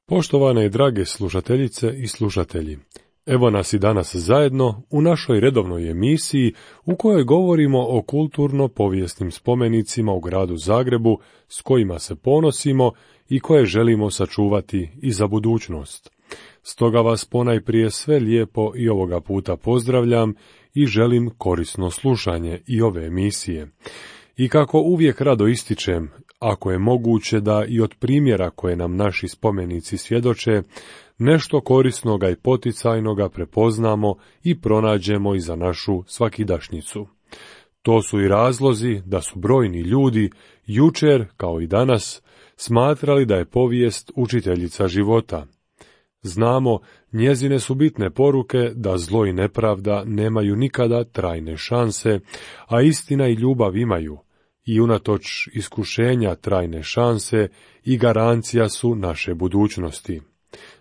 Poštovane i drage slušateljice i slušatelji, evo nas i danas zajedno u našoj redovnoj emisiji u kojoj govorimo o kulturno-povijesnim spomenicima u gradu Zagrebu s kojima se ponosimo i koje želimo sačuvati i za budućnost. Stoga vas ponajprije sve lijepo i ovoga puta pozdravljam i želim korisno slušanje i ove emisije. I kako uvijek rado ističem, ako je moguće da i od primjera koje nam naši spomenici svjedoče, nešto korisnoga i poticajnoga prepoznamo i pronađemo i za našu svakidašnjicu. To su i razlozi da su brojni ljudi, jučer kao i danas, smatrali da je povijest učiteljica života. Znamo, njezine su bitne poruke da zlo i nepravda nemaju nikada trajne šanse, a istina i ljubav imaju. I unatoč iskušenja trajne šanse i garancija su naše budućnosti.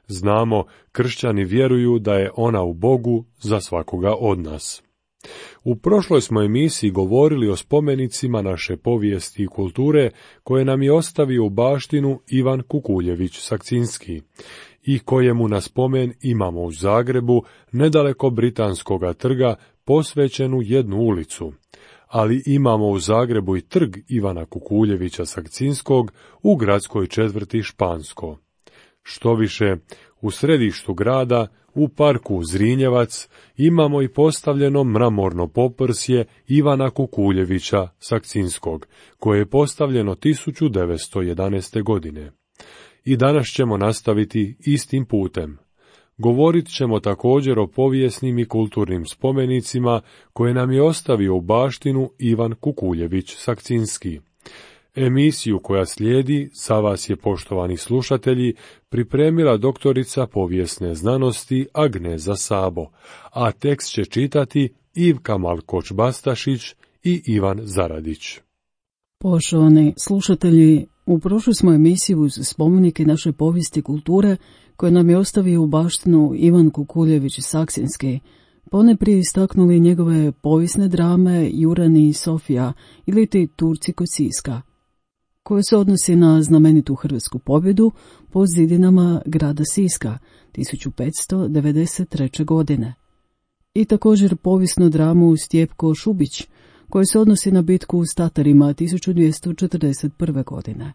Znamo, kršćani vjeruju da je ona u Bogu za svakoga od nas. U prošloj smo emisiji govorili o spomenicima naše povijesti i kulture koje nam je ostavio u baštinu Ivan Kukuljević Sakcinski i kojemu na spomen imamo u Zagrebu, nedaleko Britanskoga trga, posvećenu jednu ulicu. Ali imamo u Zagrebu i trg Ivana Kukuljevića Sakcinskog u gradskoj četvrti Špansko. Štoviše, u središtu grada, u parku Zrinjevac, imamo i postavljeno mramorno poprsje Ivana Kukuljevića Sakcinskog, koje je postavljeno 1911. godine. I danas ćemo nastaviti istim putem. Govorit ćemo također o povijesnim i kulturnim spomenicima koje nam je ostavio u baštinu Ivan Kukuljević Sakcinski. Emisiju koja slijedi za vas je, poštovani slušatelji, pripremila doktorica povijesne znanosti Agneza Sabo, a tekst će čitati Ivka Malkoč-Bastašić i Ivan Zaradić. Poštovani slušatelji, u prošloj smo emisiji uz spomenike naše povijesti i kulture koje nam je ostavio u baštinu Ivan Kukuljević Sakcinski, ponajprije istaknuli njegove povijesne drame Jurani i Sofija ili ti Turci kod Siska, koje se odnosi na znamenitu hrvatsku pobjedu po zidinama grada Siska 1593. godine. I također povijesnu dramu Stjepko Šubić, koje se odnosi na bitku s Tatarima 1241. godine.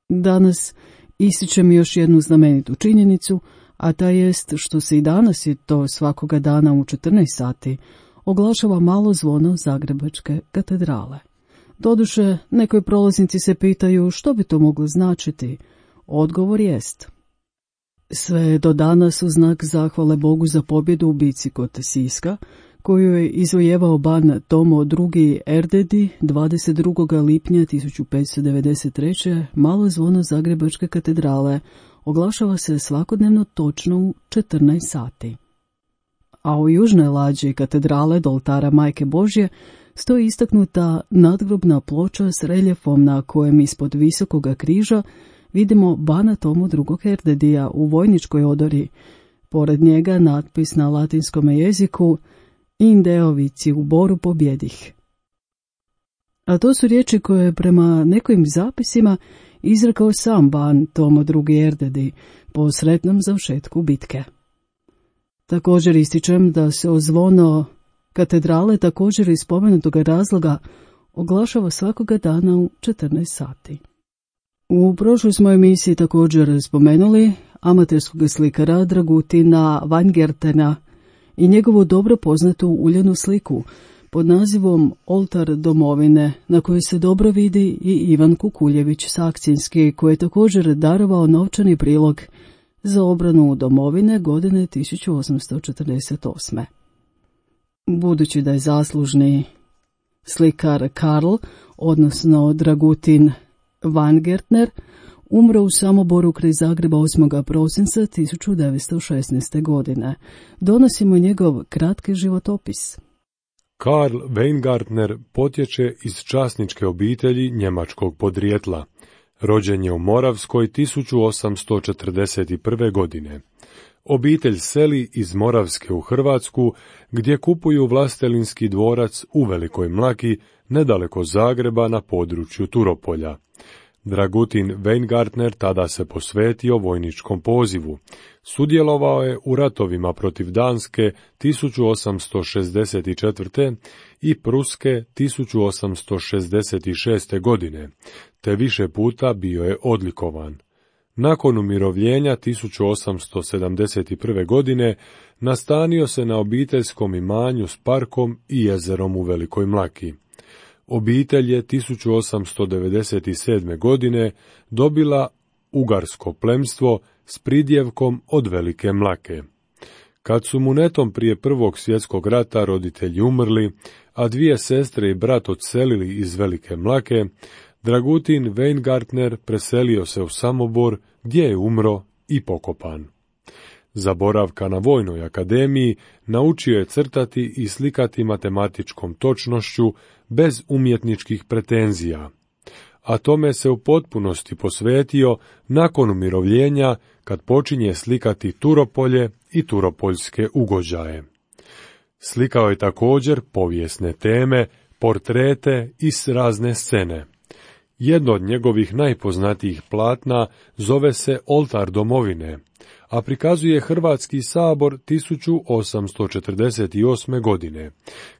Danas ističem još jednu znamenitu činjenicu, a ta jest što se i danas, i to svakoga dana u 14 sati, oglašava malo zvono Zagrebačke katedrale. Doduše, nekoj prolaznici se pitaju što bi to moglo značiti. Odgovor jest: sve je do danas u znak zahvale Bogu za pobjedu u bici kod Siska, koju je izvojevao ban Tomo II. Erdedi 22. lipnja 1593. malo zvono Zagrebačke katedrale oglašava se svakodnevno točno u 14 sati. A u južnoj lađi katedrale do oltara Majke Božje stoji istaknuta nadgrobna ploča s reljefom na kojem ispod visokoga križa vidimo bana Tomu II. Erdedija u vojničkoj odori. Pored njega natpis na latinskom jeziku Indeovici u boru pobjedih. A to su riječi koje prema nekim zapisima izrekao sam ban Tomo II. Erdedi po sretnom završetku bitke. Također ističem da se o zvono katedrale također iz spomenutog razloga oglašava svakoga dana u 14 sati. U prošloj smo emisiji također spomenuli amaterskog slikara Dragutina Weingartena i njegovu dobro poznatu uljanu sliku pod nazivom Oltar domovine, na kojoj se dobro vidi i Ivan Kukuljević Sakcinski, koji je također darovao novčani prilog za obranu domovine godine 1848. Budući da je zaslužni slikar Karl, odnosno Dragutin Weingartner, umro u Samoboru kraj Zagreba 8. prosinca 1916. godine. Donosimo njegov kratki životopis. Karl Weingartner potječe iz časničke obitelji njemačkog podrijetla. Rođen je u Moravskoj 1841. godine. Obitelj seli iz Moravske u Hrvatsku, gdje kupuju vlastelinski dvorac u Velikoj Mlaki, nedaleko Zagreba na području Turopolja. Dragutin Weingartner tada se posvetio vojničkom pozivu. Sudjelovao je u ratovima protiv Danske 1864. i Pruske 1866. godine, te više puta bio je odlikovan. Nakon umirovljenja 1871. godine nastanio se na obiteljskom imanju s parkom i jezerom u Velikoj Mlaki. Obitelj je 1897. godine dobila ugarsko plemstvo s pridjevkom od Velike Mlake. Kad su mu netom prije Prvog svjetskog rata roditelji umrli, a dvije sestre i brat odselili iz Velike Mlake, Dragutin Weingartner preselio se u Samobor, gdje je umro i pokopan. Za boravka na Vojnoj akademiji naučio je crtati i slikati matematičkom točnošću bez umjetničkih pretenzija, a tome se u potpunosti posvetio nakon umirovljenja kad počinje slikati Turopolje i turopoljske ugođaje. Slikao je također povijesne teme, portrete i razne scene. Jedno od njegovih najpoznatijih platna zove se Oltar domovine, a prikazuje Hrvatski sabor 1848. godine,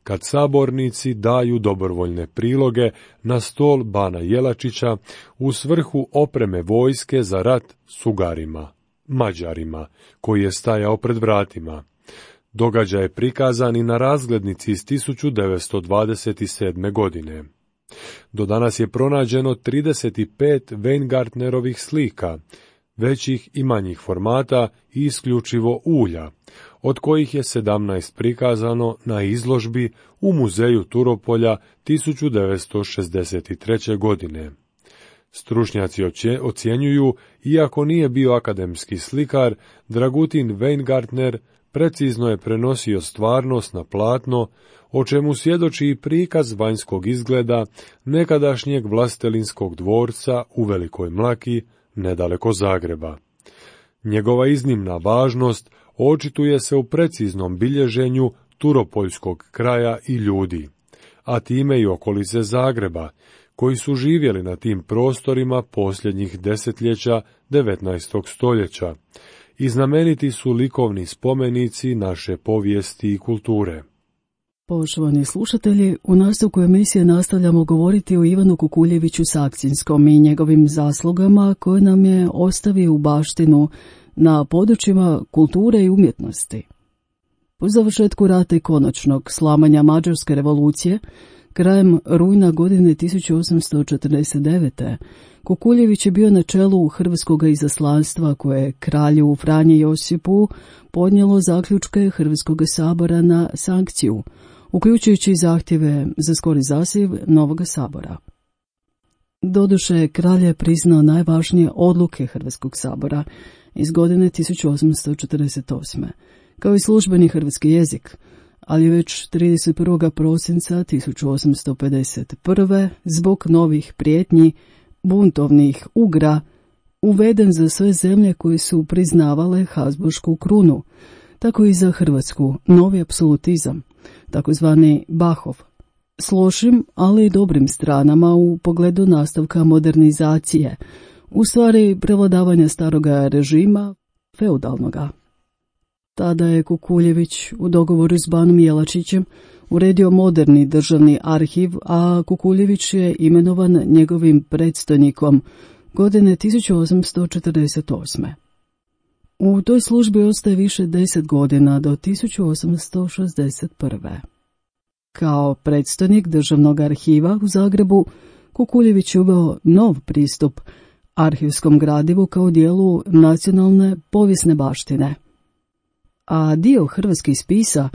kad sabornici daju dobrovoljne priloge na stol bana Jelačića u svrhu opreme vojske za rat s Ugarima, Mađarima, koji je stajao pred vratima. Događaj je prikazan i na razglednici iz 1927. godine. Do danas je pronađeno 35 Weingartnerovih slika, većih i manjih formata i isključivo ulja, od kojih je 17 prikazano na izložbi u muzeju Turopolja 1963. godine. Stručnjaci ocjenjuju, iako nije bio akademski slikar, Dragutin Weingartner precizno je prenosio stvarnost na platno, o čemu svjedoči i prikaz vanjskog izgleda nekadašnjeg vlastelinskog dvorca u Velikoj Mlaki, nedaleko Zagreba. Njegova iznimna važnost očituje se u preciznom bilježenju turopoljskog kraja i ljudi, a time i okolice Zagreba, koji su živjeli na tim prostorima posljednjih desetljeća 19. stoljeća, i znameniti su likovni spomenici naše povijesti i kulture. Poštovani slušatelji, u nastavku emisije nastavljamo govoriti o Ivanu Kukuljeviću Sakcinskom i njegovim zaslugama koje nam je ostavio u baštinu na područjima kulture i umjetnosti. Po završetku rata i konačnog slamanja Mađarske revolucije, krajem rujna godine 1849. Kukuljević je bio na čelu hrvatskog izaslanstva koje je kralju Franji Josipu podnijelo zaključke Hrvatskog sabora na sankciju, uključujući zahtjeve za skori zasjev novog sabora. Doduše, kralj je priznao najvažnije odluke Hrvatskog sabora iz godine 1848. kao i službeni hrvatski jezik, ali već 31. prosinca 1851. zbog novih prijetnji buntovnih Ugra uveden za sve zemlje koje su priznavale Habsburšku krunu, tako i za Hrvatsku novi apsolutizam, takozvani Bahov, s lošim, ali i dobrim stranama u pogledu nastavka modernizacije, u stvari prevladavanja staroga režima, feudalnoga. Tada je Kukuljević u dogovoru s banom Jelačićem uredio moderni državni arhiv, a Kukuljević je imenovan njegovim predstojnikom godine 1848. U toj službi ostaje više 10 godina do 1861. Kao predstojnik državnog arhiva u Zagrebu, Kukuljević je uveo nov pristup arhivskom gradivu kao dijelu nacionalne povijesne baštine. A dio hrvatskih spisa,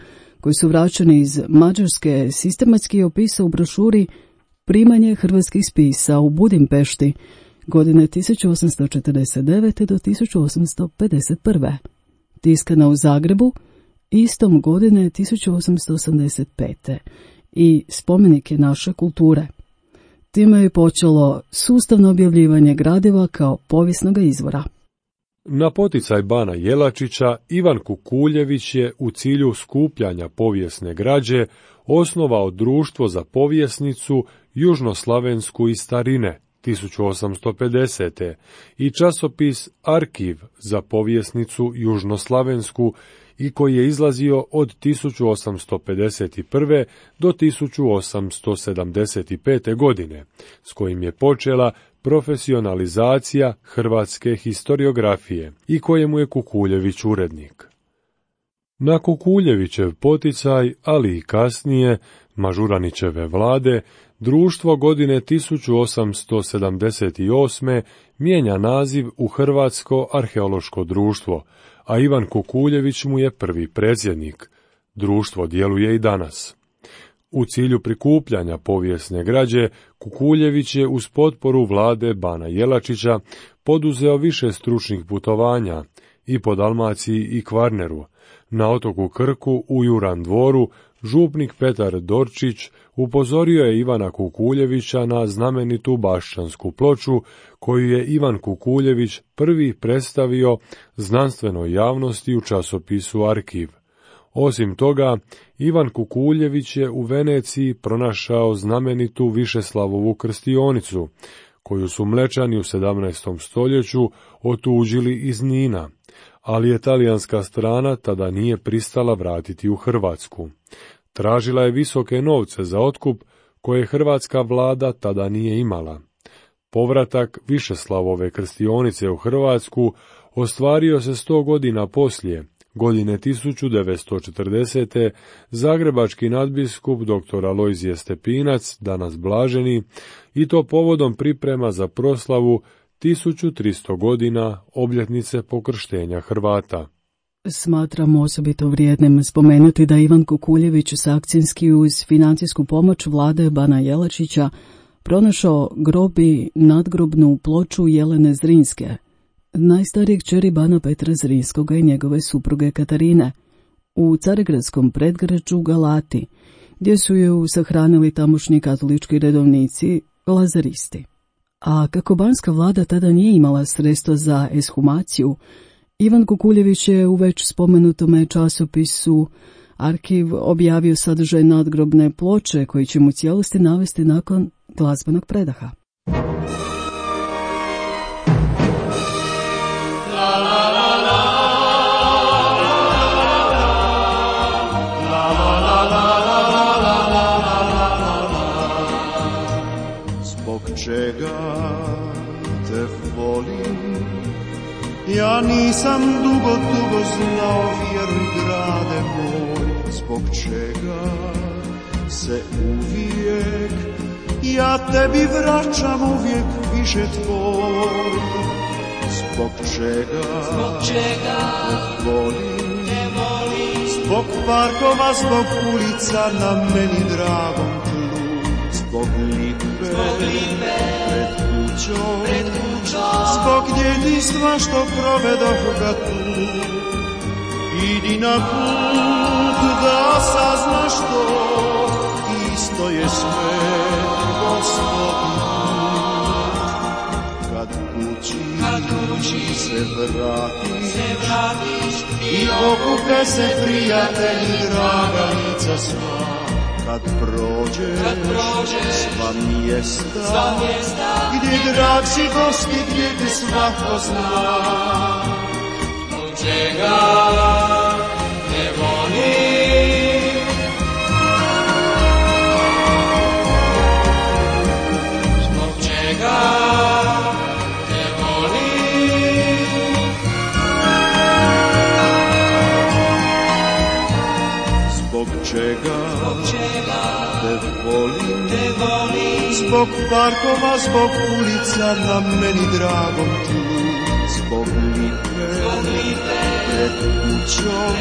koji su vraćeni iz Mađarske, sistematski je opisao u brošuri Primanje hrvatskih spisa u Budimpešti godine 1849. do 1851. tiskana u Zagrebu istom godine 1885. i spomenike naše kulture. Time je počelo sustavno objavljivanje gradiva kao povijesnog izvora. Na poticaj bana Jelačića, Ivan Kukuljević je u cilju skupljanja povijesne građe osnovao Društvo za povijesnicu južnoslavensku iz starine, 1850. i časopis Arkiv za povjesnicu južnoslavensku i koji je izlazio od 1851. do 1875. godine, s kojim je počela profesionalizacija hrvatske historiografije i kojemu je Kukuljević urednik. Na Kukuljevićev poticaj, ali i kasnije, Mažuranićeve vlade, društvo godine 1878. mijenja naziv u Hrvatsko arheološko društvo, a Ivan Kukuljević mu je prvi predsjednik. Društvo djeluje i danas. U cilju prikupljanja povijesne građe, Kukuljević je uz potporu vlade Bana Jelačića poduzeo više stručnih putovanja i po Dalmaciji i Kvarneru. Na otoku Krku u Juran Dvoru župnik Petar Dorčić upozorio je Ivana Kukuljevića na znamenitu Bašćansku ploču, koju je Ivan Kukuljević prvi predstavio znanstvenoj javnosti u časopisu Arkiv. Osim toga, Ivan Kukuljević je u Veneciji pronašao znamenitu Višeslavovu krstionicu, koju su Mlečani u 17. stoljeću otuđili iz Nina, ali je talijanska strana tada nije pristala vratiti u Hrvatsku. Tražila je visoke novce za otkup koje hrvatska vlada tada nije imala. Povratak Višeslavove krstionice u Hrvatsku ostvario se 100 godina poslije, godine 1940. zagrebački nadbiskup dr. Alojzije Stepinac, danas blaženi, i to povodom priprema za proslavu 1300 godina obljetnice pokrštenja Hrvata. Smatramo osobito vrijednim spomenuti da Ivan Kukuljević sankcijski uz financijsku pomoć vlade Bana Jelačića pronašao grob i nadgrobnu ploču Jelene Zrinske, najstarijeg kćeri Bana Petra Zrinskoga i njegove supruge Katarine, u carigradskom predgrađu Galati, gdje su ju sahranili tamošnji katolički redovnici, lazaristi. A kako banska vlada tada nije imala sredstva za eshumaciju, Ivan Kukuljević je u već spomenutome časopisu Arkiv objavio sadržaj nadgrobne ploče koji će mu cijelosti navesti nakon glazbenog predaha. Zbog čega te volim, ja nisam dugo znao, vjeruj grade moj. Zbog čega se uvijek ja tebi vraćam uvijek više tvoj. Zbog čega te volim, zbog parkova, zbog ulica na meni dragom tlu. Zbog lipe pred kućom, zbog djetinjstva što provedoh ga tu. Idi na put da saznaš to, isto je sve Gospodin put. Kad kući se vratiš i okupe se prijatelji, draga lica sva. Kad prođeš sva mjesta gdje drag si gosti, gdje te svako zna. Zbog čega te volim, zbog čega te volim, zbog čega te volim, zbog parkova, zbog ulica na meni dragom tlu. Zbog lipe pred kućom,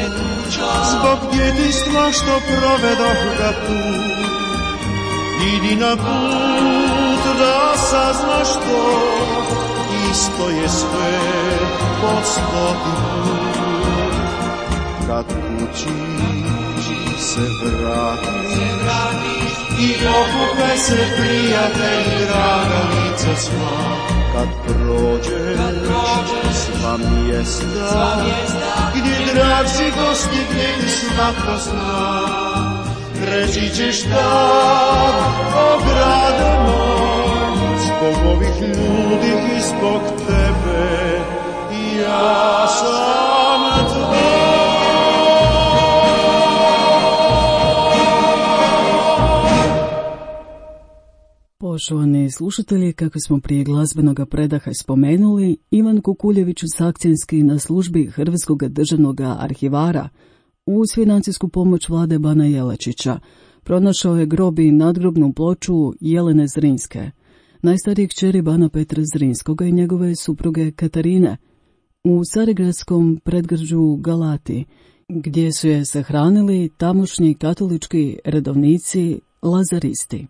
zbog djetinjstva što provedoh ga tu. Idi na put da saznaš to, isto je sve Gospodin put. Kad kući se vratiš i okupe se prijatelji, draga lica sva. Kad prođeš sva mjesta gdje drag si gosti, gdje ti svako zna. Reći ćeš tad, o grade moj, zbog ovih ljudi ispod tebe, ja sam tvoj. Poštovani slušatelji, kako smo prije glazbenog predaha spomenuli, Ivan Kukuljević Sakcinski na službi Hrvatskog državnog arhivara uz financijsku pomoć vlade Bana Jelačića pronašao je grob i nadgrobnu ploču Jelene Zrinske, najstarijeg kćeri Bana Petra Zrinskoga i njegove supruge Katarine, u carigradskom predgrađu Galati, gdje su je sahranili tamošnji katolički redovnici lazaristi.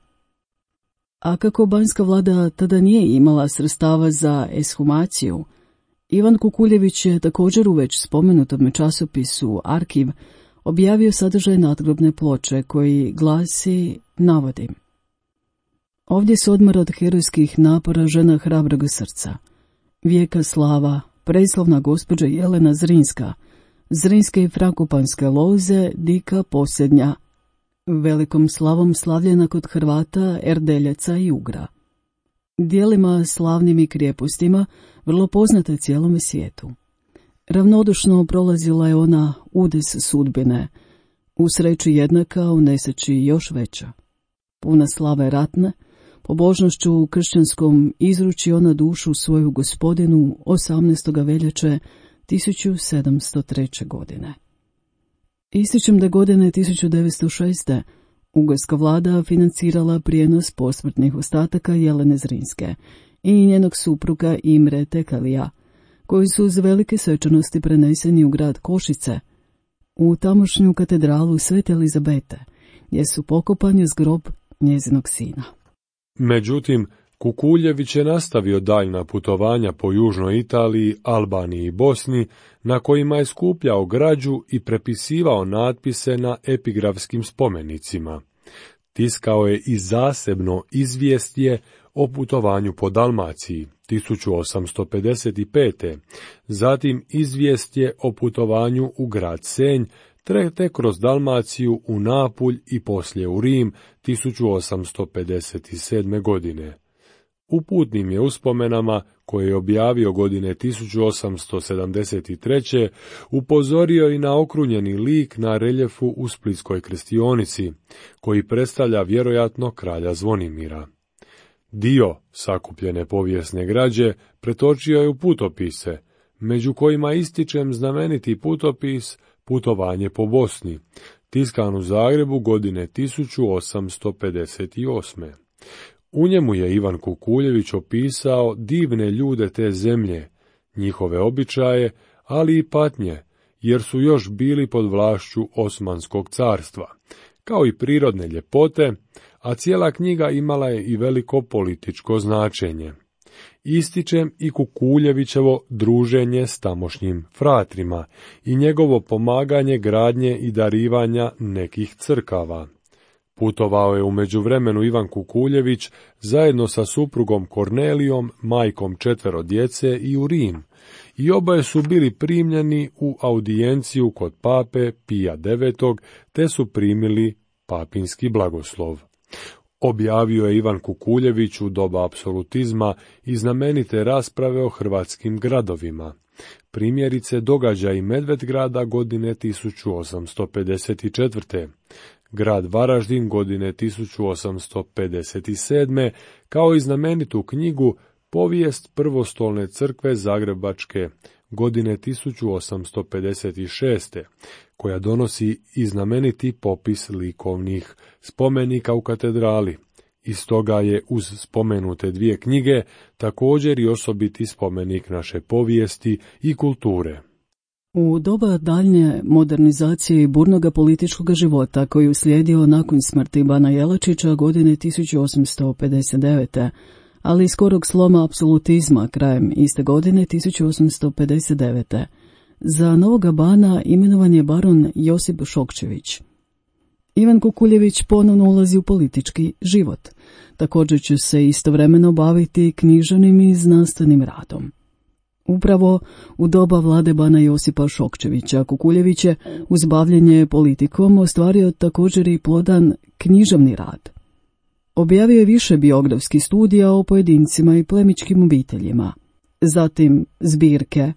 A kako banjska vlada tada nije imala sredstava za eshumaciju, Ivan Kukuljević je također u već spomenutom časopisu Arkiv objavio sadržaj nadgrobne ploče koji glasi, navodim: ovdje se odmara od herojskih napora žena hrabrog srca, vijeka slava, preslavna gospođa Jelena Zrinska, Zrinske i Frakopanske loze, dika posljednja, velikom slavom slavljena kod Hrvata, Erdeljaca i Ugra. Dijelima slavnim i krijepostima, vrlo poznata cijelome svijetu. Ravnodušno prolazila je ona udes sudbine, u sreći jednaka, u nesreći još veća. Puna slave ratne, pobožnošću u kršćanskom izruči ona dušu svoju gospodinu 18. veljače 1703. godine. Ističem da godine 1906. ugarska vlada financirala prijenos posmrtnih ostataka Jelene Zrinske i njenog supruga Imre Tekalija, koji su uz velike svečanosti preneseni u grad Košice, u tamošnju katedralu Svete Elizabete, gdje su pokopani s grob njezinog sina. Međutim, Kukuljević je nastavio daljna putovanja po južnoj Italiji, Albaniji i Bosni, na kojima je skupljao građu i prepisivao natpise na epigrafskim spomenicima. Tiskao je i zasebno izvjestje o putovanju po Dalmaciji 1855. Zatim izvjestje o putovanju u grad Senj, te kroz Dalmaciju u Napulj i poslije u Rim 1857. godine. U putnim je uspomenama, koje je objavio godine 1873. upozorio i na okrunjeni lik na reljefu u Splitskoj krstionici, koji predstavlja vjerojatno kralja Zvonimira. Dio sakupljene povijesne građe pretočio je u putopise, među kojima ističem znameniti putopis Putovanje po Bosni, tiskan u Zagrebu godine 1858. U njemu je Ivan Kukuljević opisao divne ljude te zemlje, njihove običaje, ali i patnje, jer su još bili pod vlašću Osmanskog carstva, kao i prirodne ljepote, a cijela knjiga imala je i veliko političko značenje. Ističem i Kukuljevićevo druženje s tamošnjim fratrima i njegovo pomaganje gradnje i darivanja nekih crkava. Putovao je u međuvremenu Ivan Kukuljević zajedno sa suprugom Kornelijom, majkom 4 djece, i u Rim, i oboje su bili primljeni u audijenciju kod pape Pija IX, te su primili papinski blagoslov. Objavio je Ivan Kukuljević u doba apsolutizma i znamenite rasprave o hrvatskim gradovima. Primjerice događaji Medvedgrada godine 1854. grad Varaždin godine 1857. kao i znamenitu knjigu Povijest prvostolne crkve Zagrebačke godine 1856. koja donosi i znameniti popis likovnih spomenika u katedrali. Iz toga je uz spomenute 2 knjige također i osobiti spomenik naše povijesti i kulture. U doba daljnje modernizacije i burnoga političkog života koji uslijedio nakon smrti Bana Jelačića godine 1859. ali i skorog sloma apsolutizma krajem iste godine 1859. za novoga bana imenovan je baron Josip Šokčević. Ivan Kukuljević ponovno ulazi u politički život. Također će se istovremeno baviti književnim i znanstvenim radom. Upravo u doba vlade bana Josipa Šokčevića Kukuljević je uz bavljenje politikom ostvario također i plodan književni rad. Objavio je više biografskih studija o pojedincima i plemičkim obiteljima. Zatim zbirke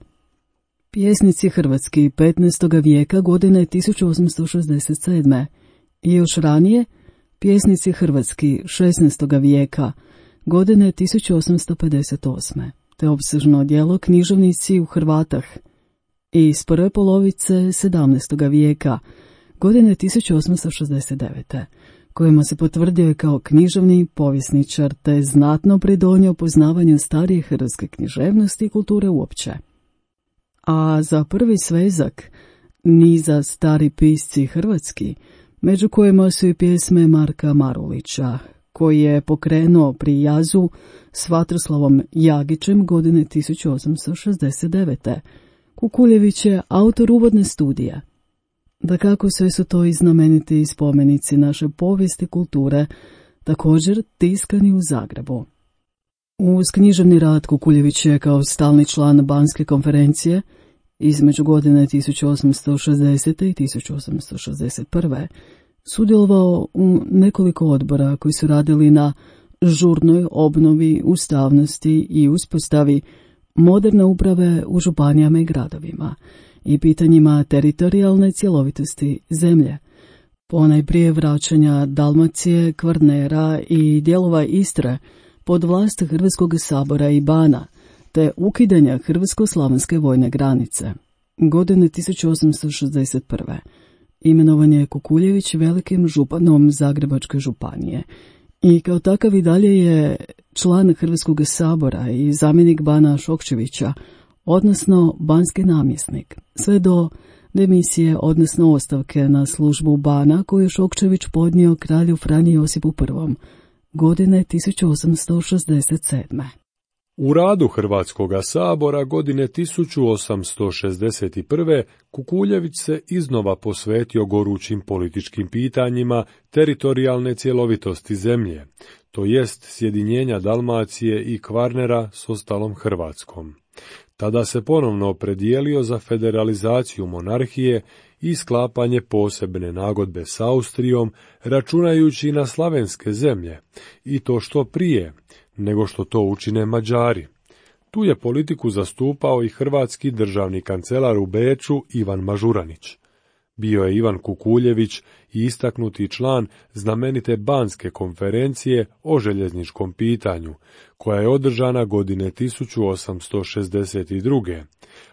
Pjesnici hrvatski 15. vijeka godine 1867. i još ranije Pjesnici hrvatski 16. vijeka godine 1858. te opsežno djelo Književnici u Hrvatah iz prve polovice 17. vijeka godine 1869. kojima se potvrdio kao književni povjesničar te znatno pridonio poznavanju starije hrvatske književnosti i kulture uopće. A za prvi svezak niza Stari pisci hrvatski, među kojima su i pjesme Marka Marulića, koji je pokrenuo pri Jazu s Vatroslavom Jagićem godine 1869. Kukuljević je autor uvodne studije. Dakako sve su to i znameniti spomenici naše povijesti kulture, također tiskani u Zagrebu. Uz književni rad Kukuljević je kao stalni član Banske konferencije između godine 1860. i 1861. sudjelovao u nekoliko odbora koji su radili na žurnoj obnovi ustavnosti i uspostavi moderne uprave u županijama i gradovima i pitanjima teritorijalne cjelovitosti zemlje, ponajprije vraćanja Dalmacije, Kvarnera i dijelova Istre pod vlast Hrvatskog sabora i bana, te ukidanja Hrvatsko-slavenske vojne granice. Godine 1861. imenovan je Kukuljević velikim županom Zagrebačke županije i kao takav i dalje je član Hrvatskog sabora i zamjenik bana Šokčevića, odnosno banski namjesnik, sve do demisije, odnosno ostavke na službu bana koju je Šokčević podnio kralju Franji Josipu I. godine 1867. U radu Hrvatskoga sabora godine 1861. Kukuljević se iznova posvetio gorućim političkim pitanjima teritorijalne cjelovitosti zemlje, to jest sjedinjenja Dalmacije i Kvarnera s ostalom Hrvatskom. Tada se ponovno opredijelio za federalizaciju monarhije i sklapanje posebne nagodbe s Austrijom, računajući na slavenske zemlje, i to što prije, nego što to učine Mađari. Tu je politiku zastupao i hrvatski državni kancelar u Beču Ivan Mažuranić. Bio je Ivan Kukuljević i istaknuti član znamenite Banske konferencije o željezničkom pitanju, koja je održana godine 1862.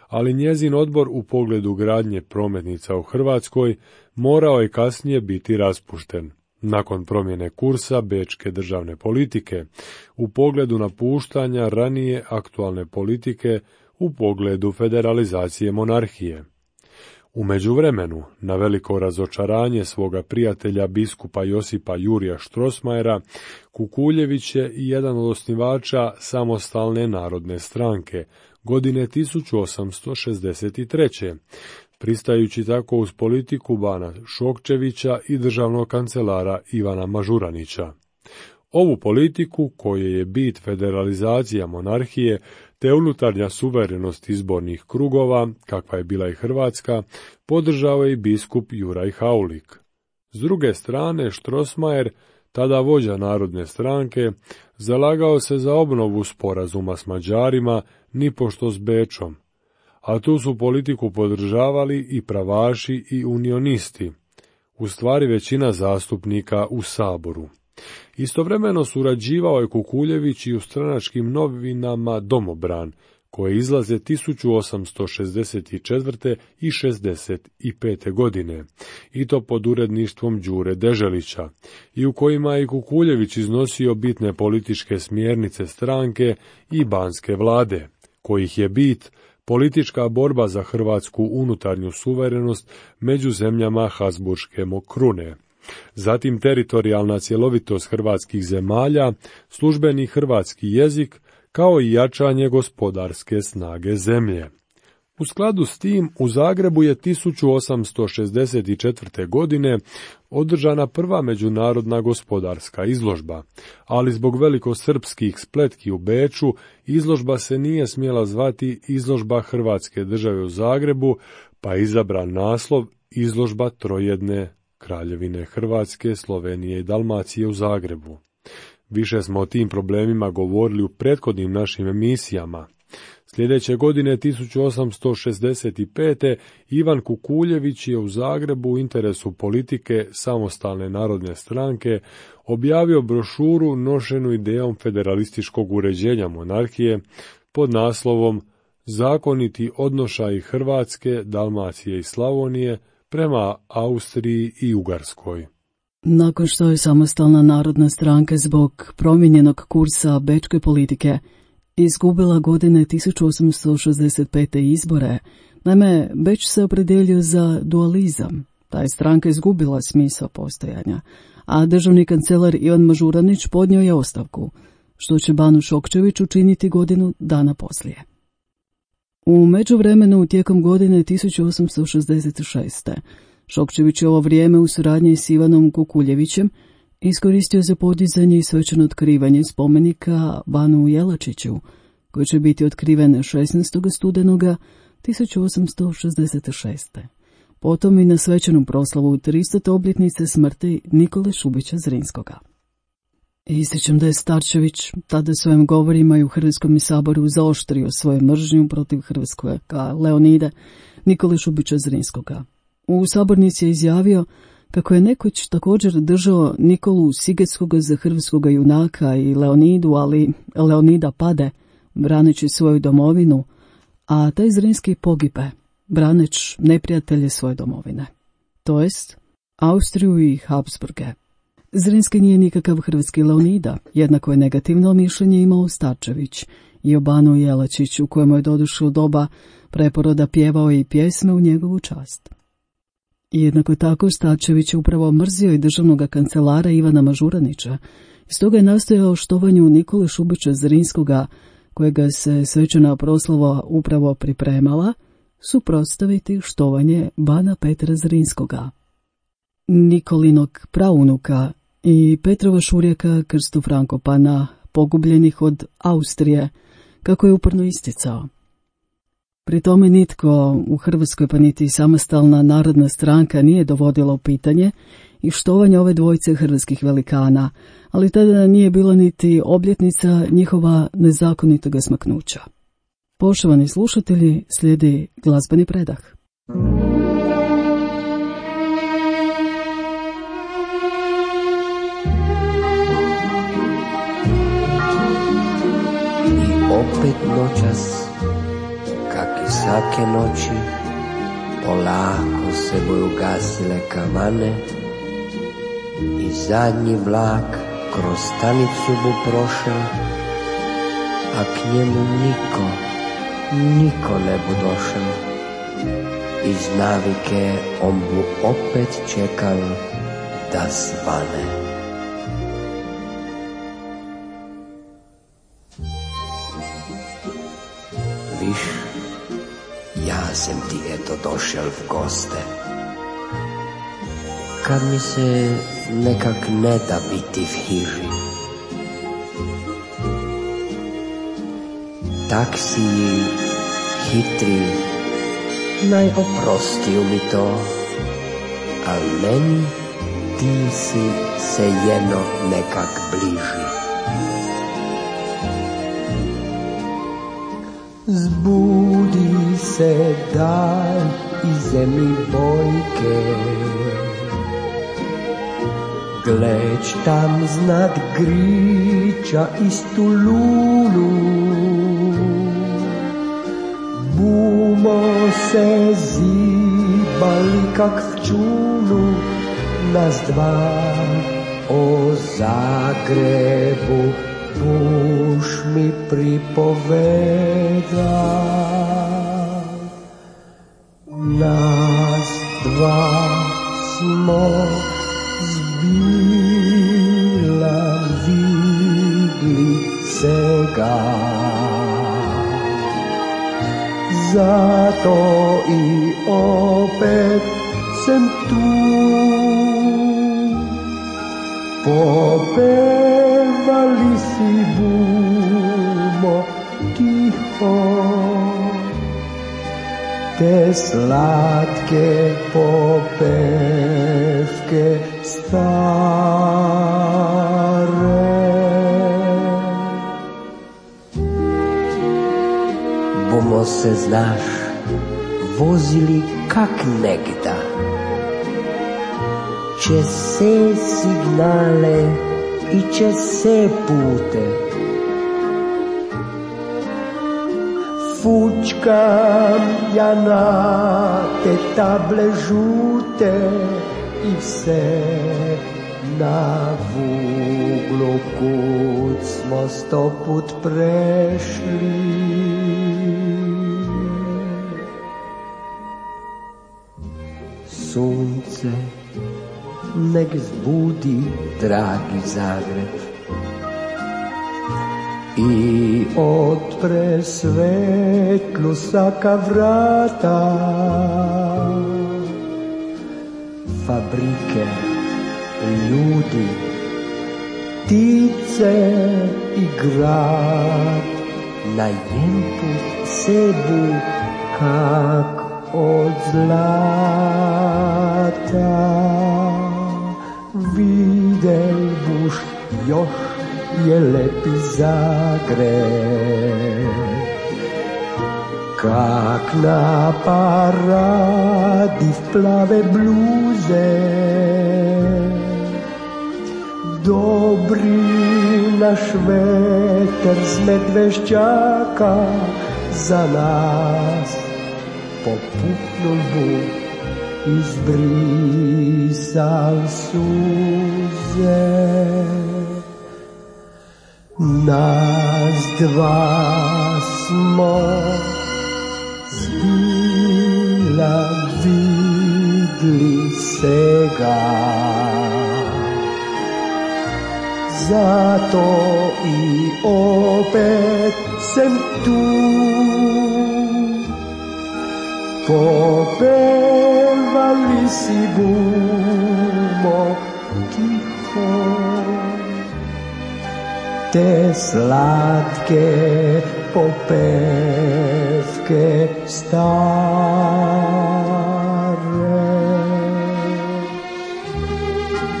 Ali njezin odbor u pogledu gradnje prometnica u Hrvatskoj morao je kasnije biti raspušten. Nakon promjene kursa bečke državne politike, u pogledu napuštanja ranije aktualne politike u pogledu federalizacije monarhije. U međuvremenu, na veliko razočaranje svoga prijatelja biskupa Josipa Jurija Strossmayera, Kukuljević je i jedan od osnivača Samostalne narodne stranke godine 1863. pristajući tako uz politiku bana Šokčevića i državnog kancelara Ivana Mažuranića. Ovu politiku, koje je bit federalizacija monarhije te unutarnja suverenost izbornih krugova, kakva je bila i Hrvatska, podržao je i biskup Juraj Haulik. S druge strane, Strossmayer, tada vođa Narodne stranke, zalagao se za obnovu sporazuma s Mađarima, nipošto s Bečom, a tu su politiku podržavali i pravaši i unionisti, u stvari većina zastupnika u Saboru. Istovremeno surađivao je Kukuljević i u stranačkim novinama Domobran, koje izlaze 1864. i 65. godine, i to pod uredništvom Đure Deželića, i u kojima je Kukuljević iznosio bitne političke smjernice stranke i banske vlade, kojih je bit politička borba za hrvatsku unutarnju suverenost među zemljama Habsburške krune. Zatim teritorijalna cjelovitost hrvatskih zemalja, službeni hrvatski jezik, kao i jačanje gospodarske snage zemlje. U skladu s tim, u Zagrebu je 1864. godine održana prva međunarodna gospodarska izložba, ali zbog velikosrpskih spletki u Beču izložba se nije smjela zvati Izložba Hrvatske države u Zagrebu, pa je izabran naslov Izložba trojedne Kraljevine Hrvatske, Slovenije i Dalmacije u Zagrebu. Više smo o tim problemima govorili u prethodnim našim emisijama. Sljedeće godine 1865. Ivan Kukuljević je u Zagrebu u interesu politike Samostalne narodne stranke objavio brošuru nošenu idejom federalističkog uređenja monarhije pod naslovom Zakoniti odnošaji Hrvatske, Dalmacije i Slavonije prema Austriji i Ugarskoj. Nakon što je Samostalna narodna stranka zbog promijenjenog kursa bečke politike izgubila godine 1865. izbore, naime, Beč se opredelio za dualizam. Ta je stranka izgubila smisao postojanja, a državni kancelar Ivan Mažuranić podnio je ostavku, što će Banu Šokčević učiniti godinu dana poslije. U međuvremenu, tijekom godine 1866. Šokčević je ovo vrijeme u suradnji s Ivanom Kukuljevićem iskoristio za podizanje i svečano otkrivanje spomenika Banu Jelačiću, koji će biti otkriven 16. studenoga 1866. Potom i na svečanu proslavu 300. obljetnice smrti Nikole Šubića Zrinskoga. Ističem da je Starčević tada svojim govorima i u Hrvatskom saboru zaoštrio svoju mržnju protiv hrvatskog Leonida Nikole Šubića Zrinskoga. U sabornici je izjavio kako je nekoć također držao Nikolu Sigetskoga za hrvatskoga junaka i Leonidu, ali Leonida pade, braneći svoju domovinu, a taj Zrinski pogibe, braneć neprijatelje svoje domovine, to jest Austriju i Habsburge. Zrinski nije nikakav hrvatski Leonida, jednako je negativno mišljenje imao Starčević i o Banu Jelačiću, u kojemu je doduše u doba preporoda pjevao i pjesme u njegovu čast. Jednako tako Starčević je upravo mrzio i državnog kancelara Ivana Mažuranića, stoga je nastojao štovanju Nikole Šubića Zrinskoga, kojega se svečana proslava upravo pripremala, suprotstaviti štovanje Bana Petra Zrinskoga, Nikolinog praunuka i Petrova šurjaka Krstu Frankopana, pogubljenih od Austrije, kako je uporno isticao. Pri tome nitko u Hrvatskoj, pa niti Samostalna narodna stranka, nije dovodila u pitanje i štovanje ove dvojice hrvatskih velikana, ali tada nije bila niti obljetnica njihova nezakonitoga smaknuća. Poštovani slušatelji, slijedi glazbeni predah. I opet noćas, kak i svake noći, polako se boju gasile kamane i zadnji vlak kroz stanicu bu prošel, a k njemu niko ne bu došel. Iz navike on bu opet čekal da svane. Viš, ja sam ti eto došel v goste, kad mi se nekak ne da biti v hiži. Tak si hitri, naj oprostiju mi to, al meni ti si se jedno nekak bliži. Zbudi se, daj ize mi bojke, gledž tam znad griča istu lulu. Bumo se zibali kak v čulu, nas dva o Zagrebu buš mi pripoveda. Nas dva smo zbila vidli sega, zato i opet sem tu. Popevali si bumo tiho te slatke popevke stare. smo se, znaš, vozili kak negda. Če se signale i če se pute. Fučkam ja na te table žute i vse na vuglu kud smo 100 put prešli. Sunce nek zbudi dragi Zagreb i otpre svetlu saka vrata. Fabrike, ljudi, ptice i grad na jedan put sebu kak od zlata. Videl buš još je lepi Zagreb, kak na paradi v plave bluze. Dobri naš veter z Medveščaka za nas popuhnul bu, izbrisal suze. Nas dva smo zbila vidli sega, zato i opet sem tu. Popevali si bumo tiho te slatke popevke stare.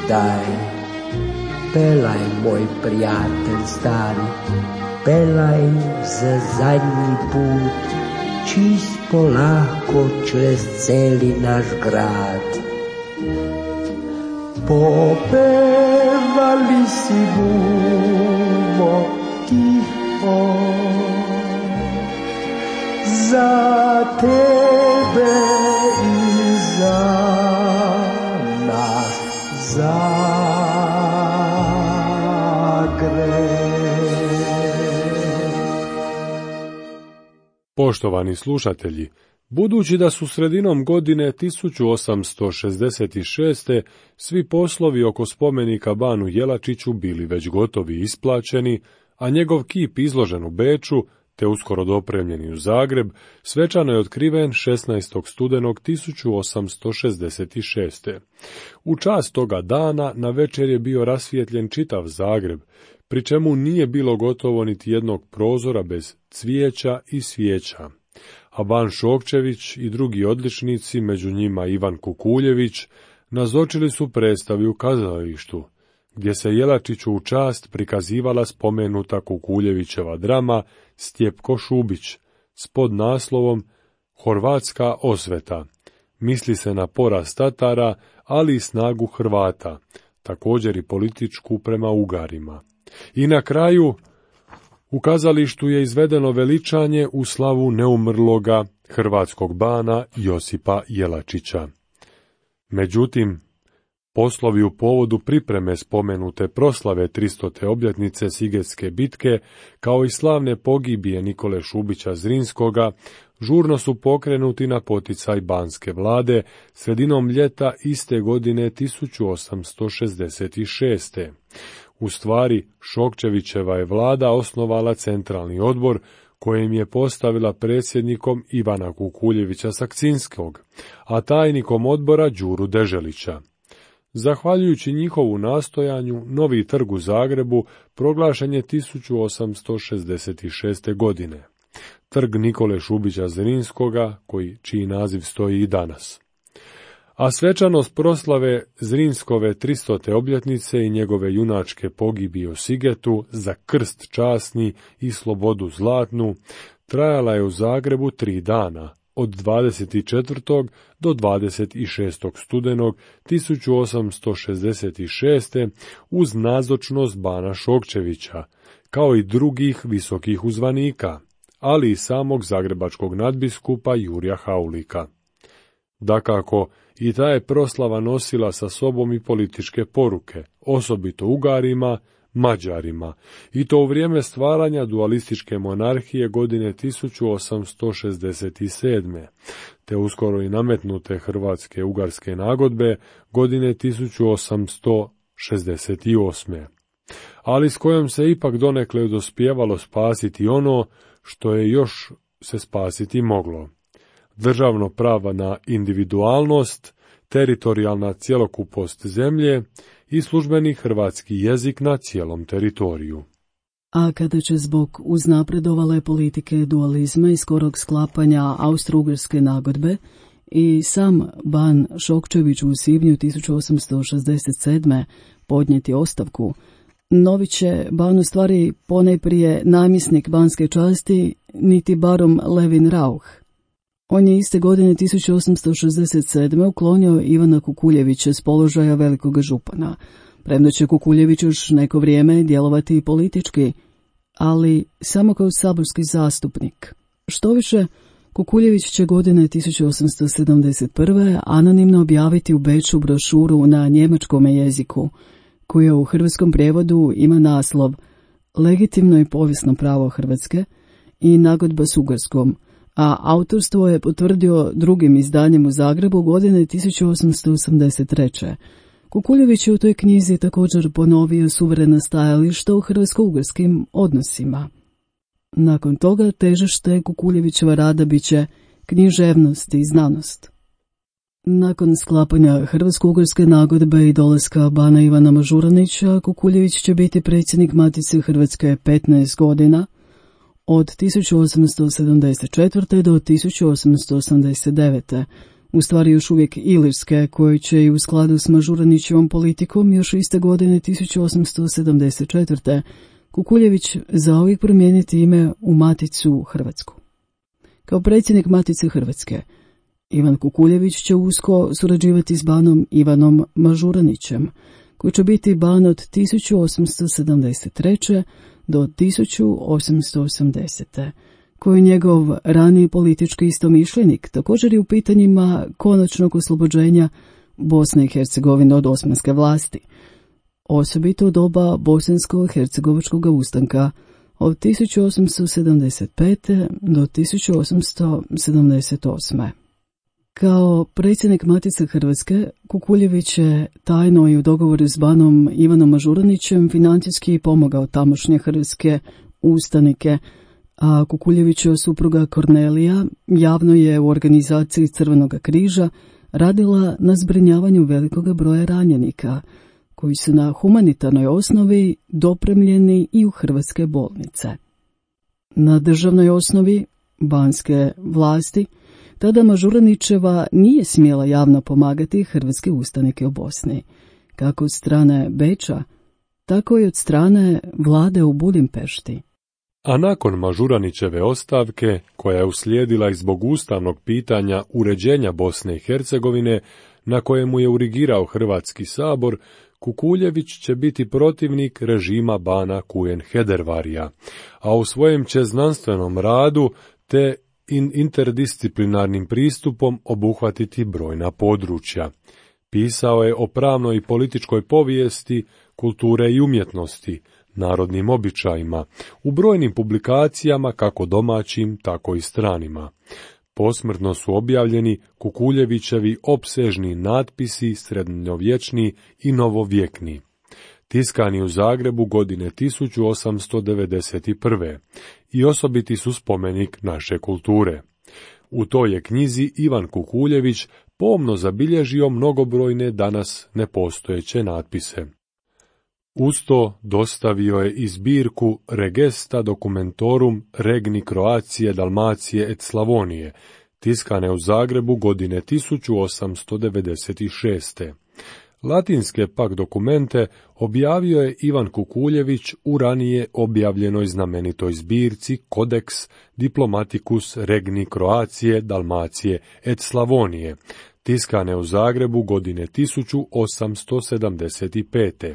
Daj, pelaj moj prijatelj stari, pelaj za zadnji put, čist polako čez celi naš grad. Popevali si bumo tiho za tebe i za naš Zagreb. Poštovani slušatelji, budući da su sredinom godine 1866. svi poslovi oko spomenika Banu Jelačiću bili već gotovi i isplaćeni, a njegov kip izložen u Beču, te uskoro dopremljeni u Zagreb, svečano je otkriven 16. studenog 1866. U čast toga dana na večer je bio rasvijetljen čitav Zagreb, pri čemu nije bilo gotovo niti jednog prozora bez cvijeća i svijeća. A ban Šokčević i drugi odličnici, među njima Ivan Kukuljević, nazočili su predstavi u kazalištu, gdje se Jelačiću u čast prikazivala spomenuta Kukuljevićeva drama Stjepko Šubić s podnaslovom Horvatska osveta. Misli se na poraz Tatara, ali i snagu Hrvata, također i političku prema Ugarima. I na kraju, u kazalištu je izvedeno veličanje u slavu neumrloga hrvatskog bana Josipa Jelačića. Međutim, poslovi u povodu pripreme spomenute proslave 300. obljetnice Sigetske bitke, kao i slavne pogibije Nikole Šubića Zrinskoga, žurno su pokrenuti na poticaj banske vlade sredinom ljeta iste godine 1866. U stvari, Šokčevićeva je vlada osnovala centralni odbor, kojem je postavila predsjednikom Ivana Kukuljevića Sakcinskog, a tajnikom odbora Đuru Deželića. Zahvaljujući njihovu nastojanju, novi trg u Zagrebu proglašen je 1866. godine. Trg Nikole Šubića Zrinskoga, čiji naziv stoji i danas. A svečanost proslave Zrinskove 300. obljetnice i njegove junačke pogibije u Sigetu za krst časni i slobodu zlatnu trajala je u Zagrebu 3 dana, od 24. do 26. studenog 1866. uz nazočnost bana Šokčevića, kao i drugih visokih uzvanika, ali i samog zagrebačkog nadbiskupa Jurja Haulika. Dakako, i ta je proslava nosila sa sobom i političke poruke, osobito Ugarima, Mađarima, i to u vrijeme stvaranja dualističke monarhije godine 1867. te uskoro i nametnute hrvatske ugarske nagodbe godine 1868. ali s kojom se ipak donekle dospijevalo spasiti ono što je još se spasiti moglo. Državno pravo na individualnost, teritorijalna cjelokupost zemlje i službeni hrvatski jezik na cijelom teritoriju. A kada će zbog uznapredovale politike dualizma i skorog sklapanja Austro-Ugarske nagodbe i sam ban Šokčević u svibnju 1867. podnijeti ostavku, novi će ban u stvari ponajprije namjesnik banske časti, niti barom Levin Rauch. On je iste godine 1867. uklonio Ivana Kukuljevića s položaja velikoga župana, premda će Kukuljević još neko vrijeme djelovati politički, ali samo kao saborski zastupnik. Štoviše, Kukuljević će godine 1871. anonimno objaviti u Beču brošuru na njemačkom jeziku, koja u hrvatskom prijevodu ima naslov Legitimno i povijesno pravo Hrvatske i nagodba s Ugarskom, a autorstvo je potvrdio drugim izdanjem u Zagrebu godine 1883. Kukuljević je u toj knjizi također ponovio suverena stajališta u hrvatsko-ugarskim odnosima. Nakon toga težište Kukuljevićeva rada bit će književnost i znanost. Nakon sklapanja Hrvatsko-ugarske nagodbe i dolaska bana Ivana Mažuranića, Kukuljević će biti predsjednik Matice Hrvatske 15 godina, od 1874. do 1889. u stvari još uvijek Ilirske, koje će i u skladu s Mažuranićevom politikom još iste godine 1874. Kukuljević zauvijek promijeniti ime u Maticu Hrvatsku. Kao predsjednik Matice Hrvatske, Ivan Kukuljević će usko surađivati s banom Ivanom Mažuranićem, koji će biti ban od 1873. do 1880. koji je njegov raniji politički istomišljenik, također i u pitanjima konačnog oslobođenja Bosne i Hercegovine od osmanske vlasti, osobito u doba bosansko-hercegovačkog ustanka od 1875. do 1878. Kao predsjednik Matice Hrvatske, Kukuljević je tajno i u dogovoru s banom Ivanom Mažuranićem financijski pomogao tamošnje hrvatske ustanike, a Kukuljevićeva supruga Kornelija javno je u organizaciji Crvenog križa radila na zbrinjavanju velikog broja ranjenika, koji su na humanitarnoj osnovi dopremljeni i u hrvatske bolnice. Na državnoj osnovi banske vlasti tada Mažuranićeva nije smjela javno pomagati hrvatske ustanike u Bosni, kako od strane Beča, tako i od strane vlade u Budimpešti. A nakon Mažuranićeve ostavke, koja je uslijedila i zbog ustavnog pitanja uređenja Bosne i Hercegovine, na kojemu je urigirao Hrvatski sabor, Kukuljević će biti protivnik režima bana Kujen Hedervarija, a u svojem će znanstvenom radu te interdisciplinarnim pristupom obuhvatiti brojna područja. Pisao je o pravnoj i političkoj povijesti, kulture i umjetnosti, narodnim običajima, u brojnim publikacijama kako domaćim, tako i stranima. Posmrtno su objavljeni Kukuljevićevi opsežni natpisi srednjovječni i novovjekni. Tiskani u Zagrebu godine 1891. i osobiti su spomenik naše kulture. U toj je knjizi Ivan Kukuljević pomno zabilježio mnogobrojne danas nepostojeće natpise. Usto dostavio je i zbirku Regesta Documentorum Regni Croacije, Dalmacije et Slavonije, tiskane u Zagrebu godine 1896. Latinske pak dokumente objavio je Ivan Kukuljević u ranije objavljenoj znamenitoj zbirci Codex Diplomaticus Regni Croacije, Dalmacije et Slavonije, tiskane u Zagrebu godine 1875.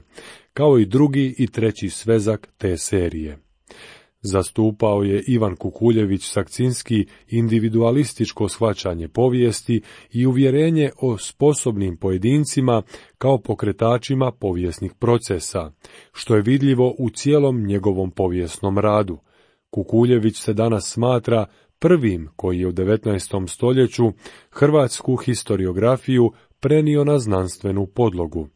kao i drugi i treći svezak te serije. Zastupao je Ivan Kukuljević Sakcinski individualističko shvaćanje povijesti i uvjerenje o sposobnim pojedincima kao pokretačima povijesnih procesa, što je vidljivo u cijelom njegovom povijesnom radu. Kukuljević se danas smatra prvim koji je u 19. stoljeću hrvatsku historiografiju prenio na znanstvenu podlogu.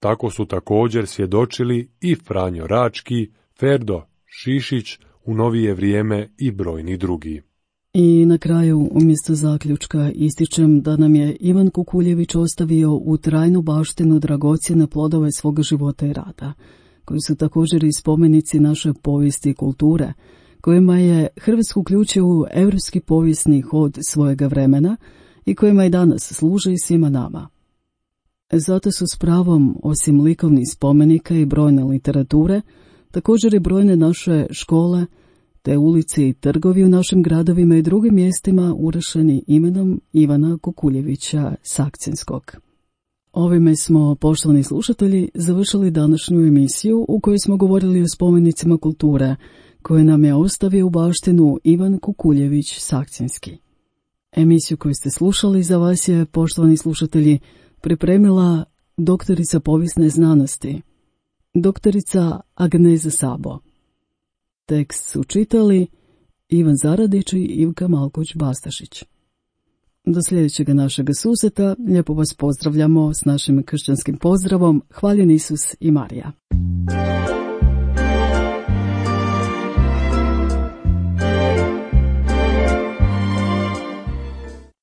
Tako su također svjedočili i Franjo Rački, Ferdo Šišić u novije vrijeme i brojni drugi. I na kraju, umjesto zaključka, ističem da nam je Ivan Kukuljević ostavio u trajnu baštinu dragocjene plodove svoga života i rada, koji su također i spomenici naše povijesti i kulture, kojima je Hrvatsku uključio u europski povijesni hod svojega vremena i kojima i danas služe i svima nama. Zato su s pravom, osim likovnih spomenika i brojne literature, također i brojne naše škole, te ulice i trgovi u našim gradovima i drugim mjestima urešeni imenom Ivana Kukuljevića Sakcinskog. Ovime smo, poštovani slušatelji, završili današnju emisiju u kojoj smo govorili o spomenicima kulture, koje nam je ostavio u baštinu Ivan Kukuljević Sakcinski. Emisiju koju ste slušali za vas je, poštovani slušatelji, pripremila doktorica povijesne znanosti, doktorica Agneza Sabo. Tekst su čitali Ivan Zaradić i Ivka Malković-Bastašić. Do sljedećeg našega susreta lijepo vas pozdravljamo s našim kršćanskim pozdravom. Hvaljen Isus i Marija.